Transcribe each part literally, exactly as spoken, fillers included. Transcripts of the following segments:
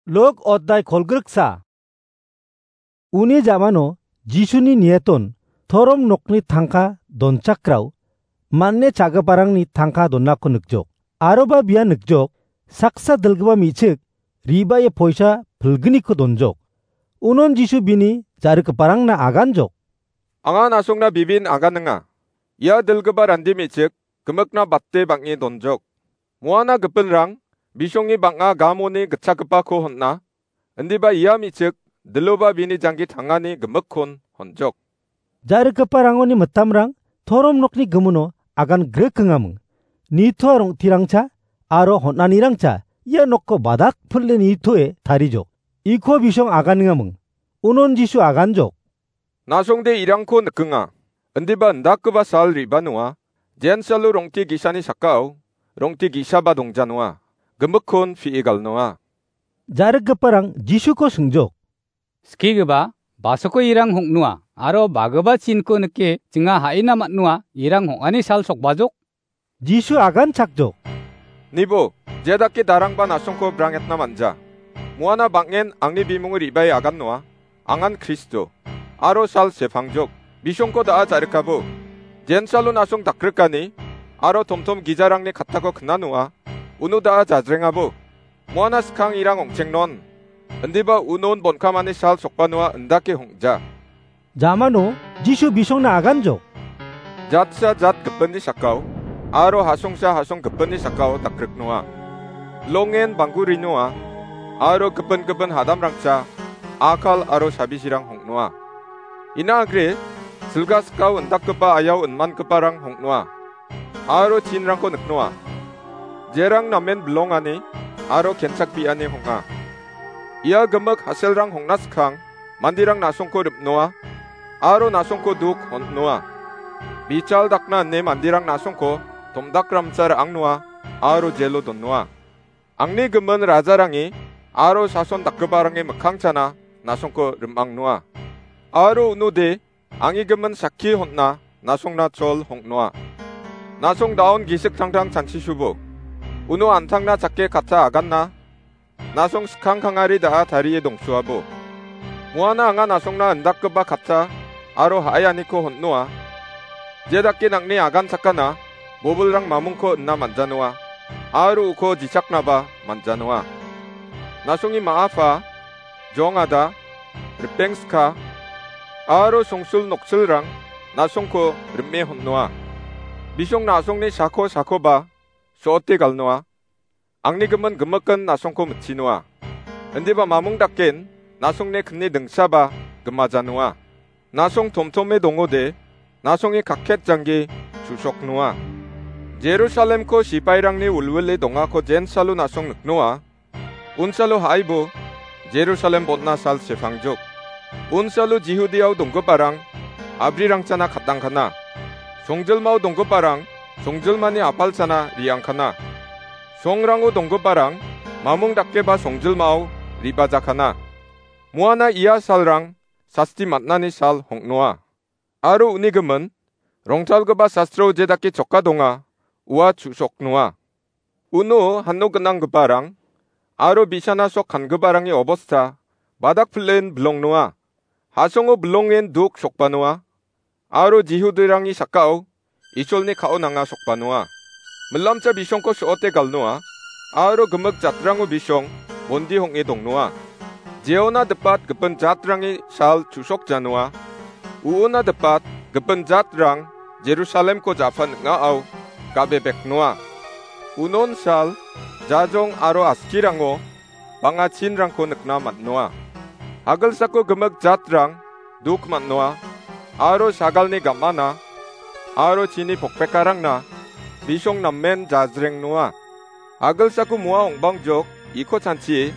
Luk oddai kolgriksa. Uni jamano Jisuni nieton torom nokni tangka donchakrao, man·e cha·giparangni tangka donako nikjok. Aroba bia nikjok, saksa dilgipa me·chik ribae poisa pilgniko donjok. Unon Jisu bini ja·rikgiparangna aganjok. Anga na·songna bibin aganinga. Ia dilgipa randi me·chik gimikna bate bang·e donjok. Moana gipinrang bisongni bang·a gamoni gitchakgipako hon·a. Indiba ia me·chik diloba bini janggi tangani gimikkon honjok. Ja·rikgiparangoni mitamrang torom nokni gimino agan grikingaming. Nitoa rong·tirangcha aro hon·anirangcha ia nokko badak pil·e nitoe tarijok. Iko bisong aganengaming. Unon Jisu aganjok. Na·songde irangko nikinga. Indiba indakgipa sal re·banoa, jensalo rong·te ge·sani sakao, rong·te ge·saba dongjanoa, gimikkon pie galnoa. Ja·rikgiparang Jisuko singjok. Skigipa, basoko irang hong·noa, aro bagipa chinko nike chinga ha·ina man·noa, irang hong·ani sal sokbajok? Jisu aganchakjok. Nibo, jedake darangba na·songko brangetna manja. Moana bang·en angni bimungo re·bae agannoa, angan Kristo, aro sal sepangjok. Bisongko da·a ja·rikabo. Jensalo na·song dakrikani, aro tomtom gijarangni kattako knanoa, uno da·a jajrengabo. Moana skang irang ong·chengnon. Indiba unon bonkamani sal sokbanoa indake hong·ja. Jamano Jisu bisongna aganjok. Jatsa jat gipinni sakao, aro hasongsa hasong gipinni sakao dakriknoa. Longen banggurinoa, aro gipin gipin hadamrangcha, akal aro sabisirang hong·noa. Ina agre, silga skao indakgipa ayao inmangiparang hong·noa. Aro chinrangko niknoa. Jerang namen bilongani, aro kenchakbiani hong·a. Ia gimik haselrang hong·na skang, manderang na·songko ripnoa, aro na·songko duk hon·noa. Bichal dakna ine manderang na·songko tomdakramsa ra·angnoa, aro jelo donnoa. Angni gimin rajarange, aro sason dakgiparange mikkangchana na·songko rim·angnoa. Aro unode, angigimin sakki hon·na, na·songna chol hong·noa. Na·song daon gisik tangtang chanchisubo. Uno an·tangna chake katta aganna, na·song skang kangari da·a tarie dongsuabo. Moana anga na·songna indakgipa katta aro ha·aianiko hon·noa. Jedake nang·ni agan sakana, bobilrang mamungko ina man·janoa, aro uko jichaknaba man·janoa. Na·songni ma·apa, jongada, ripengska, aro songsul noksilrang na·songko rime hon·noa. Bisong na·songni sako sakoba so·ote galnoa. Angni gimin gimikin na·songko mitchinoa. Indiba mamung daken na·songni kni dingsaba gimajanoa. Na·song tomtome dongode, na·songni kakket janggi chu·soknoa. Jerusalemko sipairangni wilwile dongako jensalo na·song niknoa. Unsalo ha·aibo Jerusalem botna sal sepangjok. Unsalo Jihudiao donggiparang abrirangchana katangkana. Songjilmao donggiparang songjilmani apalchana riangkana. Songrango donggiparang mamung dakeba songjilmao ribajakana. Moana ia salrang sasti man·ani sal hong·noa. Aro uni gimin, rongtalgipa sastro jedake choka donga, ua chu·soknoa. Uno hano gnanggiparang, aro bisana sok kangiparangni obosta, badak pilen bilongnoa. Hasongo bilongen duk sokbanoa, aro Jihudirangni sakao, Isolni ka·o nanga sokbanoa. Milamcha bisongko so·ote galnoa, aro gimik jatrango bisong bondi hong·e dongnoa. Jeona dipat gipin jatrangni sal chu·sokjanoa. Uona dipat gipin jatrang Jerusalemko ja·pan ning·ao ga·bebeknoa. Unon sal, jajong aro askirango bang·a chinrangko nikna man·noa. Agilsako gimik jatrang duk man·noa, aro sagalni gam·ana, aro chini pokpekarangna bisong namen jajrengnoa. Agilsako moa ong·bangjok iko chanchie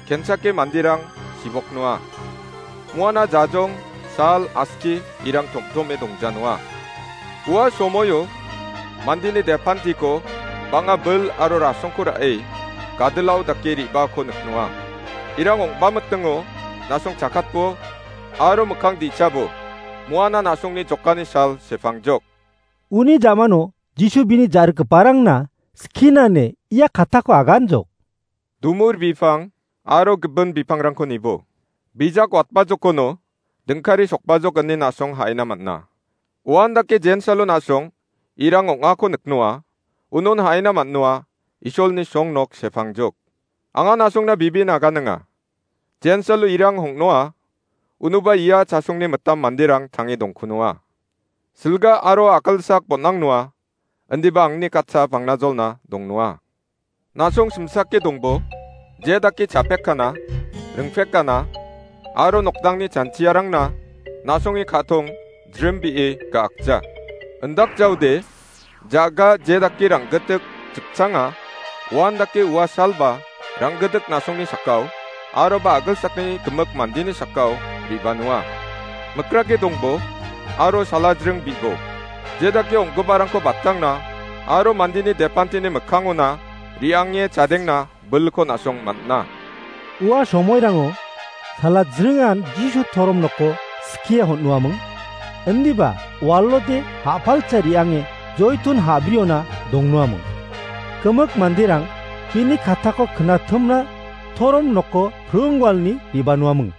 kenchake manderang siboknoa. Moana jajong, sal, aski, irang tomtome dongjanoa. Ua somoio mandeni depantiko bang·a bil aro rasongko ra·e gadilao dake re·baako niknoa. Irang ong·bamitingo nasong chakatbo aro mikkang di·chabo moana nasongni jokani sal sepangjok. Uni jamano Jisu bini ja·rikgiparangna skinane ia katako aganjok. Dumur bipang, aro gipin bipangrangko nibo. Bijak watbajokkono dingkari sokbajok ine na·song ha·ina man·a. Uandake jensalo na·song irang ong·ako niknoa, unon ha·ina man·noa, Isolni songnok sepangjok. Anga na·songna bibin aganinga. Jensalo irang hong·noa, unuba ia chasongni mitam manderang tange dongkunoa. Silga aro a·gilsak bon·angnoa, indiba angni katsa pangnajolna dongnoa. Na·song simsake dongbo, je dake chapekkana, ringpekana, aro nokdangni chanchiarangna na·songni ka·tong jrimbee ga·akja. Indakjaode, ja·ga je dake rang·gitik jikchanga, uandake ua salba rang·gitik na·songni sakao, aroba a·gilsakni gimik mandeni sakao re·banoa. Mikrake dongbo, aro salajring bibo. Je dake ong·giparangko batangna, aro mandeni depanteni mikkangona re·ange chadengna bilko na·song man·a. Ua somoirango salajringan Jisu torom noko skie hon·uaming. Indiba walode ha·palcha re·ange joitun ha·briona dongnoaming. Gimik manderang bini katako knatimna torom noko pring walni re·banoaming.